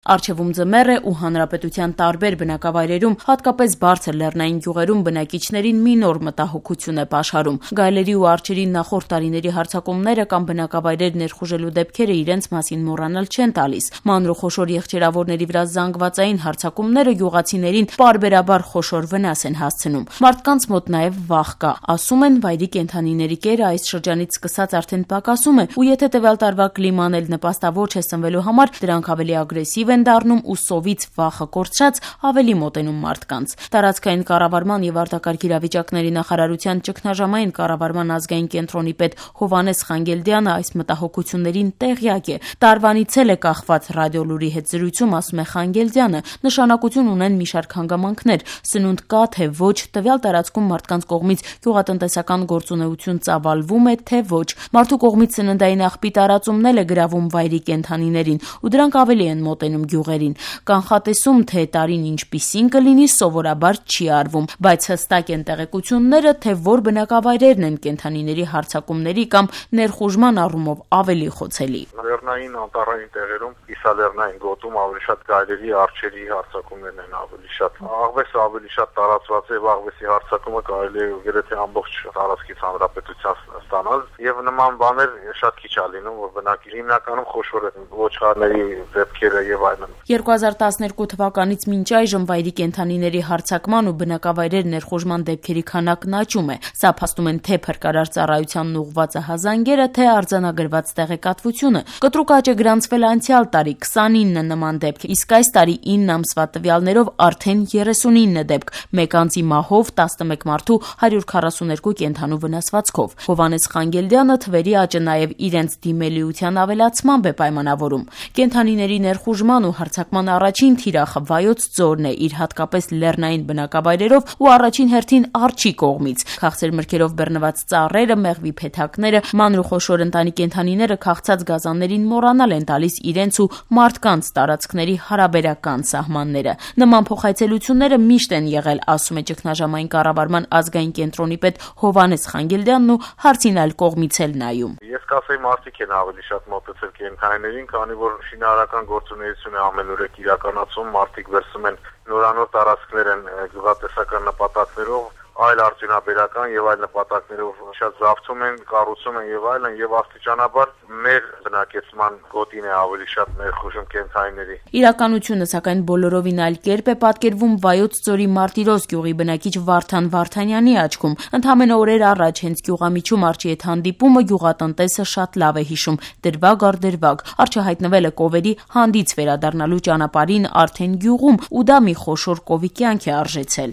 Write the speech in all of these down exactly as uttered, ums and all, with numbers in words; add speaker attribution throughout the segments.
Speaker 1: Առջևում ձմեռ է ու հանրապետության տարբեր բնակավայրերում, հատկապես բարձր լեռնային գյուղերում բնակիչներին մի նոր մտահոգություն է պաշարում։ Գայլերի ու արջերի նախորդ տարիների հարձակումները կամ բնակավայրեր ներխուժելու դեպքերը իրենց մասին մոռանալ չեն տալիս։ Մանր ու խոշոր եղջերավորների վրա զանգվածային հարձակումները գյուղացիներին պարբերաբար խոշոր վնաս են հասցնում։ Մարդկանց մոտ նաև վախ կա։ Ասում են, վայրի կենդանիների կերը այս շրջանից սկսած արդեն պակասում է, ու եթե տվյալ տարվա կլիման էլ նպաստավոր չէ սնվելու համար, դրանք ավելի ագրեսիվ են դառնում ու սովից վախը կորցրած ավելի մոտենում մարդկանց։ Տարածքային կառավարման եւ արտակարգ իրավիճակների նախարարության ճգնաժամային կառավարման ազգային կենտրոնի պետ Հովհաննես Խանգելդյանը այս մտահոգություններին տեղյակ է։ Տարվանից էլ է կախված ռադիոլուրի հետ զրույցում, ասում է Խանգելդյանը, նշանակություն ունեն մի շարք հանգամանքներ, սնունդ կա թե ոչ, տվյալ տարածքում մարդկանց կողմից գյուղատնտեսական գործունեություն ծավալվում է թե ոչ, մարդու կողմից սննդային աղբի տարածումն էլ է գրավում վայրի կենդանիներին, ու դրանք ավելի են մոտենում գյուղերին։ Կանխատեսում, թե տարին ինչպիսին կլինի, սովորաբար չի արվում, բայց հստակ են տեղեկությունները, թե որ բնակավայրերն են կենդանիների հարձակումների կամ ներխուժման առումով ավելի խոցելի։
Speaker 2: Լեռնային անտառային տեղերում, կիսալեռնային գոտում ավելի շատ գայլերի, արջերի հարձակումներն են ավելի շատ։ Աղվեսը ավելի շատ տարածված է, եւ աղվեսի հարձակումը կարելի է գրեթե ամբողջ տարածքից հանրապետության ստանալ, եւ նման բաներ շատ քիչ է լինում, որ բնակի հիմնականում խոշոր են ոչխարների դեպքերը եւ այլն։
Speaker 1: երկու հազար տասներկու թվականից մինչ այժմ վայրի կենդանիների հարձակման ու բնակավայրեր ներխուժման դեպքերի քանակն աճում է։ Սա փաստում են թե փրկարար ծառայությանն ուղղված ահազանգերը, թե արձանագրված տեղեկատվությունը։ Կտրուկ աճ է գրանցվել անցյալ տարի քսանինը նման դեպք, իսկ այս տարի ինը ամսվա տվյալներով արդեն երեսունինը դեպք, մեկ անձի մահով, տասնմեկ մարդու հարյուր քառասուներկու կենդանու վնասվածքով։ Հովհաննես Խանգելդյանը թվերի աճը նաև իրենց դիմելիության ավելացմամբ է պայմանավորում։ Կենդանիների ներխուժման ու հարձակման առաջին թիրախը Վայոց ձորն է իր հատկապես լեռնային բնակավայրերով ու առաջին հերթին արջի կողմից։ Քաղցր մրգերով բռնված ծառերը, մեղվի փեթակները, մանր ու խոշոր ընտանի կենդանիները քաղցած գազաններին մոռանալ են տալիս իրենց ու մարդկանց տարածքների հարաբերական սահմանները։ Նման փոխայցելությունները միշտ են եղել, ասում է ճգնաժամային կառավարման ազգային կենտրոնի պետ Հովհաննես Խանգելդյանն ու հարցին այլ կողմից էլ նայում։
Speaker 2: Ես կասեի, մարդիկ են ավելի շատ մոտեցել կենդանիներին, քանի որ շինարարական գործունեություն է ամենուրեք իրականացում, մարդիկ վերցում են նորանոր տարածքներ են գյուղատնտեսական նպատակներով, այլ արդյունաբերական եւ այլ նպատակներով շատ զավթում են, կառուցում են եւ այլն, եւ աստիճանաբար մեր բնակեցման գոտին է ավելի շատ ներխուժում կենդանիների։
Speaker 1: Իրականությունը սակայն բոլորովին այլ կերպ է պատկերվում Վայոց ձորի Մարտիրոս գյուղի բնակիչ Վարդան Վարդանյանի աչքում։ Ընդամենը օրեր առաջ հենց գյուղամիջում արջի հետ հանդիպումը գյուղատնտեսը շատ լավ է հիշում, դրվագ առ դրվագ։ Արջը հայտնվել է կովերի հանդից վերադառնալու ճանապարհին արդեն գյուղում, ու դա մի խոշոր կովի կյանք է արժեցել։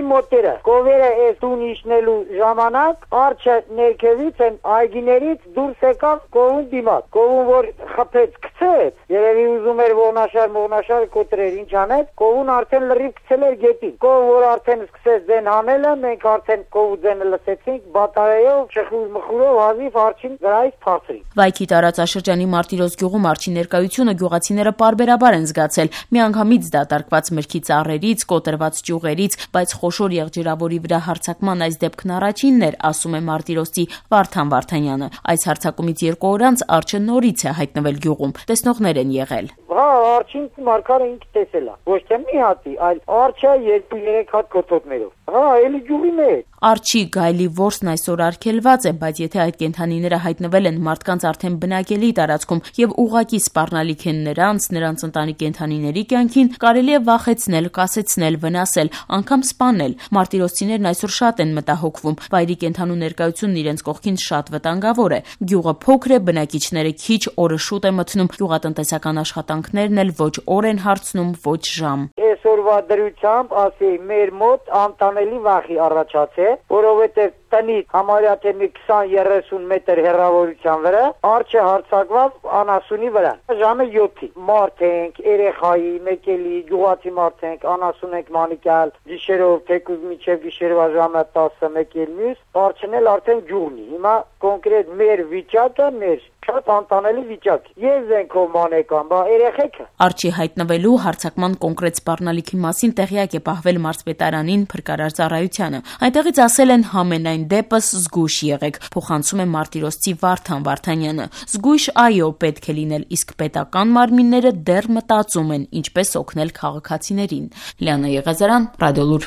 Speaker 3: Մոտերը կովերը այս տուն իջնելու ժամանակ արջը ներքևից են այգիներից դուրս եկավ կովուն դիմաց, կովուն որ խփեց գցեց, երևի ուզում էր ողնաշար մողնաշար կոտրեր, ինչ անեց, կովուն արդեն լրիվ գցել էր գետին, կով որ արդեն սկսեց ձեն հանելը, մենք արդեն կովու ձենը լսեցինք, բատարայով շխուր մխուրով հազիվ արջին վրայից փախցրին։
Speaker 1: Վայքի տարածաշրջանի Մարտիրոս գյուղում արջի ներկայությունը գյուղացիները պարբերաբար են զգացել, միանգամից դատարկված մրգի ծառերից, կոտրված ճյուղերից, բայց խոշոր եղջերավորի վրա հարձակման այս դեպքն առաջինն էր, ասում է Մարտիրոսի Վարդան Վարդանյանը։ Այս հարձակումից երկու օր անց արջը նորից է հայտնվել գյուղում։ Տեսնողներ են եղել։
Speaker 3: Հա, արջին մարգարը ինքը տեսել է։ Ոչ թե մի հատի, այլ արջը երկու երեք հատ կոթոտներով։ Հա, էլի ջուղի մեջ։
Speaker 1: Արջի գայլի որսն այսօր արգելված է, բայց եթե այդ կենդանիները հայտնվել են մարդկանց արդեն բնակելի տարածքում եւ ուղակի սպառնալիք են նրանց, նրանց ընտանի կենդանիների կյանքին, կարելի է վախեցնել, կասեցնել, վնասել, անգամ սպանել։ Մարտիրոսցիներն այսօր շատ են մտահոգվում։ Վայրի կենդանու ներկայությունն իրենց կողքին շատ վտանգավոր է։ Գյուղը փոքր է, բնակիչները քիչ, օրը շուտ է մթնում, գյուղատնտեսական աշխատանքներն էլ ոչ օր են հարցնում, ոչ ժամ։
Speaker 3: Այսօրվա դրությամբ ասեի մեր մոտ անտանելի վախի առաջացել, որովհետև տնից համարյա թե մի քսան երեսուն մետր հեռավորության վրա արջը հարձակված անասունի վրա։ Ժամը յոթի մարդ ենք, երեխայի, մեկելի, գյուղացի մարդ ենք, անասուն ենք մանիկալ, գիշերով թեկուզ միջև գիշերվա ժամը տասը մեկել մյուս, արջն էլ արդեն գյուղնի։ Հիմա կոնկրետ մեր վիճակը մեր շատ անտանելի վիճակ։ Ես ենք ով մանեկան, բա երեխեքը։
Speaker 1: Արջի հայտնվելու հարձակման կոնկրետ սպառնալիքի մասին տեղյակ է պահվել մարզպետարանին փրկարար ծառայությանը։ Այնտեղից ասել են համենայն այն դեպս զգույշ եղեք, փոխանցում է մարտիրոսցի Վարդան Վարդանյանը։ Զգույշ այո պետք է լինել, իսկ պետական մարմինները դեռ մտածում են ինչպես օգնել քաղաքացիներին։ Լիանա Եղազարյան, Ռադիոլուր։